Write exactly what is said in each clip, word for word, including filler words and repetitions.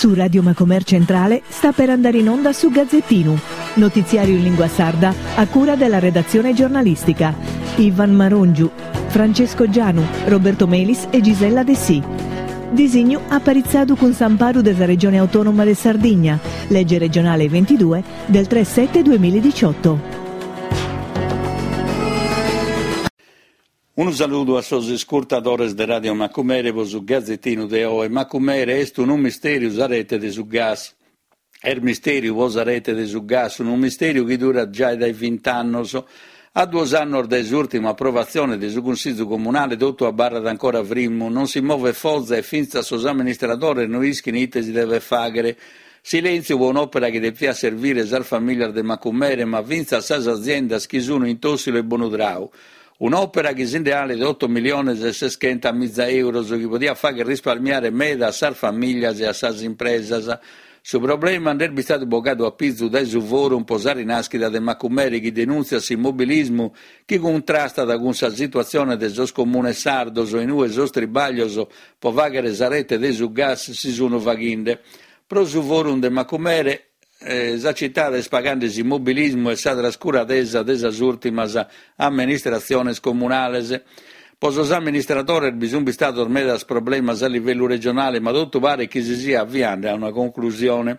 Su Radio Macomer Centrale sta per andare in onda su Gazzettinu, notiziario in lingua sarda a cura della redazione giornalistica. Ivan Marongiu, Francesco Gianu, Roberto Melis e Gisella Dessì. Disignu aparitzadu cun s'amparu de sa Regione Autonoma de Sardigna, legge regionale ventidue del tre sette duemiladiciotto. Unu saludu a sos iscurtadores de Radio Macumere pro su Gazzettinu de oe. Macumere est unu misteriu sa rete de su gas. Est misteriu pro sa rete de su gas, unu misteriu chi durat già dai vint'annos. A duos annos dae s'ùrtima aprovatzione de su Cunsìgiu Comunale totu abarrat ancora frimmu, non si movet foza e fintzas sos amministradores no ischin ite si devet fàghere. Silèntziu pro un'òpera chi deviat servire sas famìlias de Macumere, ma fintzas sas aziendas chi sunt in Tòssilo e Bonudrau. Un'òpera chi si nde 'alet oto miliones e seschenta miza euros, chi podiat fagher risparmiare meda a sas famìlias e a sas impresas. Su problema nd'est bistadu bogadu a pizu dae su Forum pro sa rinàschida de Macumere, chi denùntziat s'immobilismu chi cuntrastat cun sa situatzione de sos comunes sardos, in ue sos tribàglios pro fàghere sa rete de su gas si sunt faghende. Pro su Forum de Macumere, eh, sa citade est pagande s'immobilismu e sa trascuradesa de sas ùrtimas amministratziones comunales. Pro sos amministradores bi sunt bistados medas problemas a livellu regionale, ma totu paret chi si siat avviande a una conclusione.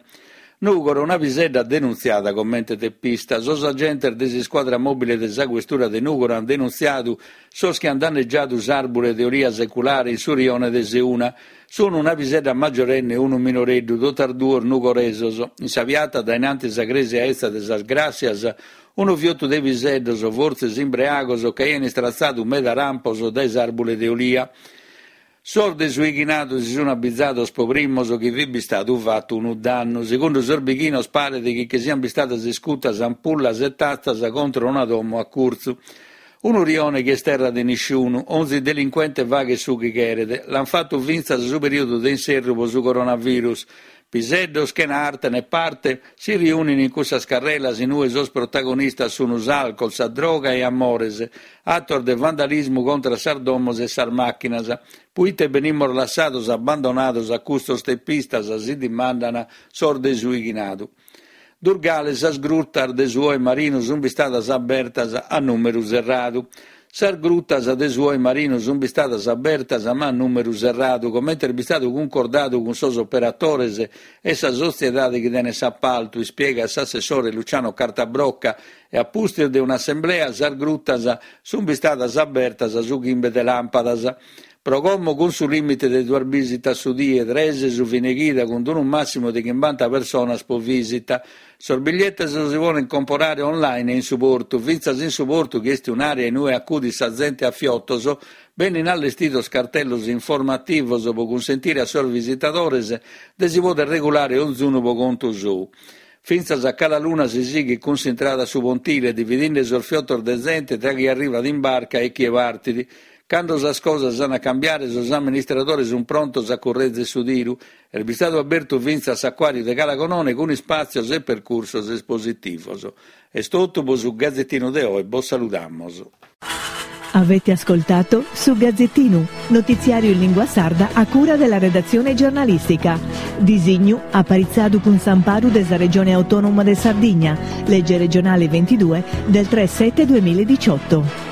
Nùgoro, una pisedda denuntziada comente tepista. Sos agentes de s'iscuadra mòbile de sa questura de Nùgoro ant denuntziadu sos chi ant danneggiadu s'àrbure de olia seculare in su rione de Seuna. Sono una pisedda maggiorenne e unu minoreddu, totas duos nugoresos. In sa piata dae innanti sa cresia etza de sas Gràssias, unu fiotu de piseddos, fortzis imbreagos, che aian istratzadu meda rampos dae s'àrbure de olia. Sos de su 'ighinadu si sun abizados pro primos chi fit bistadu fatu unu dannu. Segundu sos bighinos paret chi che sian bistadas iscutas ampullas e tatzas contro una domo a curtzu. Unu rione chi est terra de nisciunu, onzi delinquente faghet su chi cheret. L'an fatu fintzas su periodu de inserru pro su coronavirus. Piseddos chena arte né parte si riunin in cussas carrelas in ue sos protagonistas sun s'alcol, sa droga e amores, attos de vandalismu contra sas domos e sas màchinas. Puite benimos lassados abbandonados a custos tepistas, si dimandan sos de su 'ighinadu. Durgale, sas grutas de su Oe Marinu sun bistadas abertas a nùmeru serradu. Sas grutas de su Oe Marinu sun bistadas abertas ma a nùmeru serradu, comente est bistadu cuncordadu cun sos operadores e sa sotziedade chi tenet s'appaltu, ispiegat s'assessore Luciano Cartabrocca, e a pustis de un'assemblea sas grutas sun bistadas abertas su chimbe de làmpadas. Pro como cun su lìmite de duas bisitas su die, tres su fine chida, cun unu màssimu de chimbanta personas pro visita. Sos bigliettes si poden comporare online e in su portu. Fintzas in su portu, chi est un'area in ue acudit sa zente a fiotos, benin allestidos cartellos informativos pro cunsentire a sos visitadores de si poder regulare onzunu pro contu sou. Fintzas a Cala Luna si sighit cun s'intrada a su pontile, dividinde sos fiotos de zente tra chie arrivat in barca e chie partit. Cando sas cosas an a cambiare, sos amministradores sun prontos a currezer su tiru. Est bistadu abertu fintzas s'acuàriu de Cala Gonone cun ispàtzios e percursos espositivos. Est totu pro su Gazzettinu de oe, bos saludamos. Avete ascoltato su Gazzettinu, notiziario in lingua sarda a cura della redazione giornalistica. Disignu aparitzadu cun s'amparu de sa Regione Autonoma de Sardigna, legge regionale ventidue del tre sette duemiladiciotto.